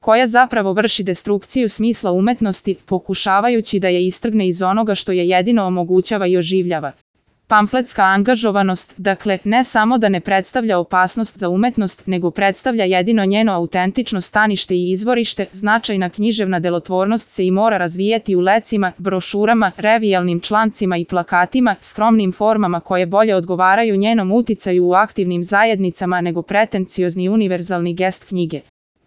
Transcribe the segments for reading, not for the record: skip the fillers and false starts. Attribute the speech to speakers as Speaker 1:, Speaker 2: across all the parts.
Speaker 1: koja zapravo vrši destrukciju smisla umetnosti, pokušavajući da je istrgne iz onoga što je jedino omogućava i oživljava. Pamfletska angažovanost, dakle, ne samo da ne predstavlja opasnost za umetnost, nego predstavlja jedino njeno autentično stanište i izvorište, značajna književna delotvornost se i mora razvijati u lecima, brošurama, revijalnim člancima i plakatima, skromnim formama koje bolje odgovaraju njenom uticaju u aktivnim zajednicama nego pretenciozni univerzalni gest knjige.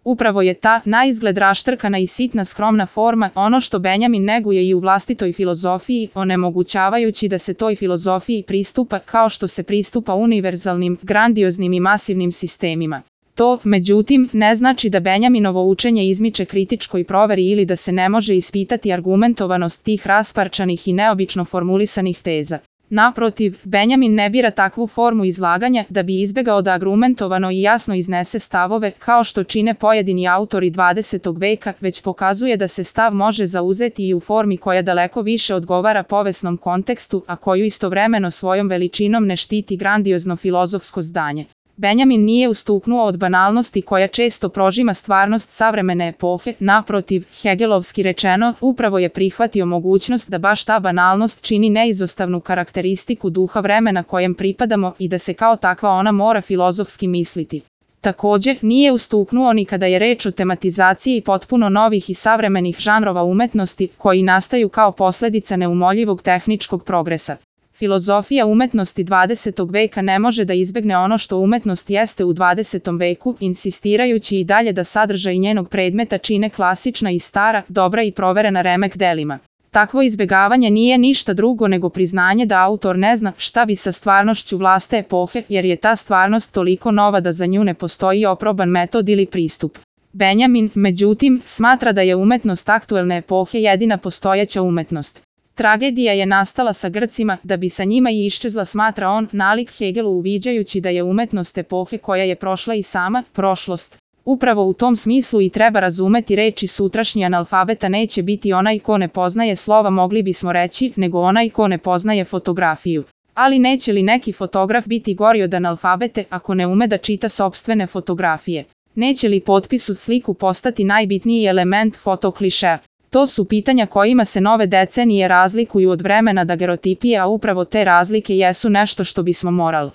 Speaker 1: Upravo je ta, naizgled raštrkana i sitna skromna forma, ono što Benjamin neguje i u vlastitoj filozofiji, onemogućavajući da se toj filozofiji pristupa kao što se pristupa univerzalnim, grandioznim i masivnim sistemima. To, međutim, ne znači da Benjaminovo učenje izmiče kritičkoj proveri ili da se ne može ispitati argumentovanost tih rasparčanih i neobično formulisanih teza. Naprotiv, Benjamin ne bira takvu formu izlaganja da bi izbegao da argumentovano i jasno iznese stavove, kao što čine pojedini autori 20. veka, već pokazuje da se stav može zauzeti i u formi koja daleko više odgovara povesnom kontekstu, a koju istovremeno svojom veličinom ne štiti grandiozno filozofsko zdanje. Benjamin nije ustuknuo od banalnosti koja često prožima stvarnost savremene epohe, naprotiv, hegelovski rečeno, upravo je prihvatio mogućnost da baš ta banalnost čini neizostavnu karakteristiku duha vremena kojem pripadamo i da se kao takva ona mora filozofski misliti. Također, nije ustuknuo ni kada je reč o tematizaciji potpuno novih i savremenih žanrova umetnosti, koji nastaju kao posledica neumoljivog tehničkog progresa. Filozofija umetnosti 20. veka ne može da izbegne ono što umetnost jeste u 20. veku, insistirajući i dalje da sadržaj njenog predmeta čine klasična i stara, dobra i proverena remek delima. Takvo izbegavanje nije ništa drugo nego priznanje da autor ne zna šta bi sa stvarnošću vlastite epohe, jer je ta stvarnost toliko nova da za nju ne postoji oproban metod ili pristup. Benjamin, međutim, smatra da je umetnost aktuelne epohe jedina postojeća umetnost. Tragedija je nastala sa Grcima, da bi sa njima i iščezla, smatra on, nalik Hegelu uviđajući da je umetnost epohe koja je prošla i sama, prošlost. Upravo u tom smislu i treba razumeti reči sutrašnji analfabeta neće biti onaj ko ne poznaje slova, mogli bismo reći, nego onaj ko ne poznaje fotografiju. Ali neće li neki fotograf biti gori od analfabete ako ne ume da čita sopstvene fotografije? Neće li potpis uz sliku postati najbitniji element fotoklišea? To su pitanja kojima se nove decenije razlikuju od vremena dagerotipije, a upravo te razlike jesu nešto što bismo morali